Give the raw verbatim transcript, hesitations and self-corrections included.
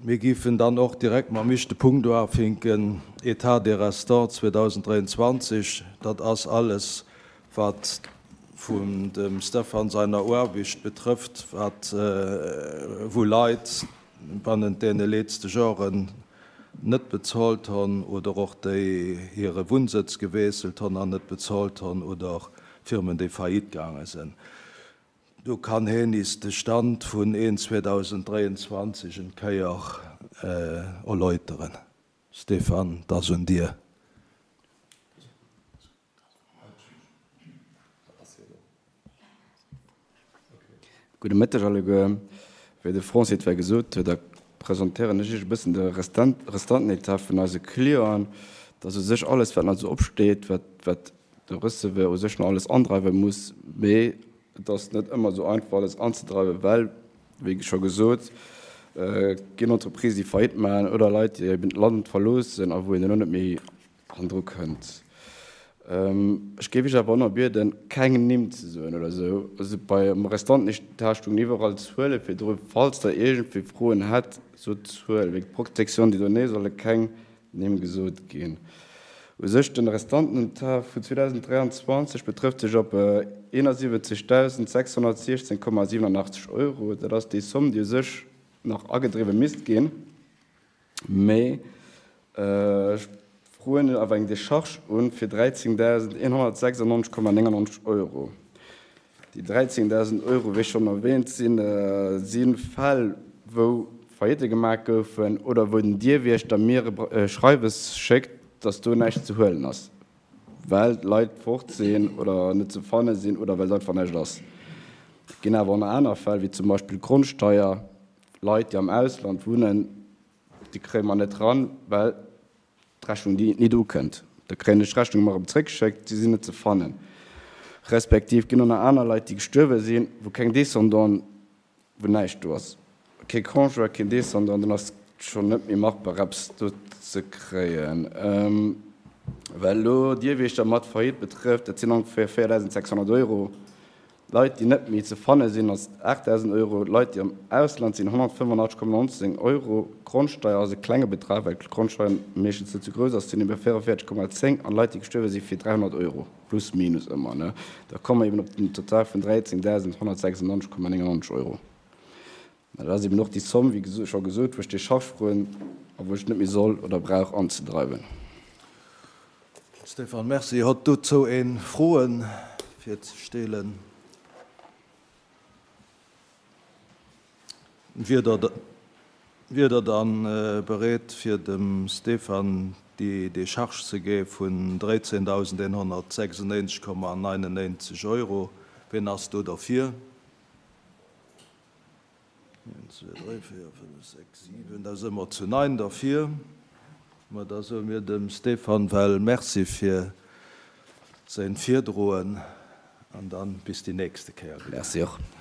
Mir giffen dann och direkt mam éischte Punkt uafinken, État des restants zweedausenddräianzwanzeg. Dat ass alles, wat vun dem Stefan seiner Aarbecht betrëfft, wat wou Leit bannent deene letzte Joren net bezahlt hunn oder och déi hire Wunnsëtz gewiesselt hunn an net bezahlt hunn oder Firmen, déi faillite gaange sinn. Do kann hien is de Stand vun een zweedausenddräianzwanzeg en Kéier erläuteren. Stefan, dat ass un dir. Gudde Mëtteg alleguer. Wéi de Francis et well gesot huet, da presentéieren ech iech e bëssen de Restant, Restantenetat vun eise Clienten. Dat ass u sech alles, wat nach esou opsteet, wat, wat de Receveur u sech nach alles andreiwe muss. Mee et ass net ëmmer esou einfach, alles anzedreiwen, well, wéi scho gesot, ginn Entreprises, déi Faillite maachen oder Leit, déi eben d'Land verloossen a wou een duerno net méi hannendru kënnt. Ech géif iech awer och nach bieden, keng Nimm ze soen oder esou. Also beim Restantenetat stoungen iwwerall Zuele virdru. Falls Der iergendwéi Froen hätt, sot d'Zuel. Wéinst Protection des données solle keng Nimm gesot ginn. U sech den Restantenetat vun zweedausenddräianzwanzeg betrëfft sech op eenasiwwenzegdausendsechshonnertsiechzehn Komma siewenundachtzeg Euro. Dat ass déi Somm, déi u sech nach agedriwwe misst ginn. Mee ech froen awer eng Decharge un fir dräizéngdausendeenhonnertsechsundneunzeg Komma néngundneunzeg Euro. Déi dräizéngdausend Euro, wéi schonn erwähnt, sinn, si Fäll, wou Faillite gemaach goufen oder wou den Dierwiechter mir e Schreiwes schéckt, dass do näischt ze huelen ass, well d'Leit fort sinn oder net ze fanne sinn oder well et einfach näischt ass. Et ginn awer och nach aner Fäll, wéi zum Beispill d'Grondsteier, Leit, déi am Ausland wunnen, déi kréie mer net ran, well d'Rechnung déi nit ukënnt. Da kréien ech d'Rechnung ëmmer erëm zréckgeschéckt, si sinn net ze fannen. Respektiv ginn och nach aner Leit, déi gestuerwe sinn, wou keng Descendant, wou näischt do ass, kee Conjoint, keen Descendant, dann ass et schonn net méi machbar eppes do ze kréien. Well elo Dierwiechter mat Faillite betrëfft, dat sinn ongeféier véiertausendsechshonnert Euro. Leit, déi net méi ze fanne sinn, ass aachtdausend Euro. Leit, déi am Ausland sinn, honnertfënnefundachtzeg Komma nonzéng Euro. Grondsteier ass e klenge Betrag, well d'Grondsteier meeschtens net sou grouss ass, sinn ebe véierundvéierzeg Komma zéng. An Leit, déi gestuerwe sinn, fir dräihonnert Euro, plus minus ëmmer, ne. Da komme mer eben op den Total vun dräizéngdausendhonnertsechsundneunzeg Komma néngundneunzeg Euro. Mä dat ass eben och déi Somm, wéi scho gesot, wou ech Décharge froen a wou ech net méi soll oder brauch anzedreiwen. Stéphane, merci. Hott dozou een Froen fir ze stellen? Wier der, wier der dann bereet fir dem Stéphane déi Décharge ze gi vun dräizéngdausendeenhonnertsechsundneunzeg Komma neunundneunzeg Euro? Wien ass do derfir? Eent, zwee, dräi, véier, fënnef, sechs, siwen, da si mer zu neun derfir. Ma da soe mir dem Stéphane well Merci fir säin Virdroen an dann bis déi nächste Kéier. Merci och.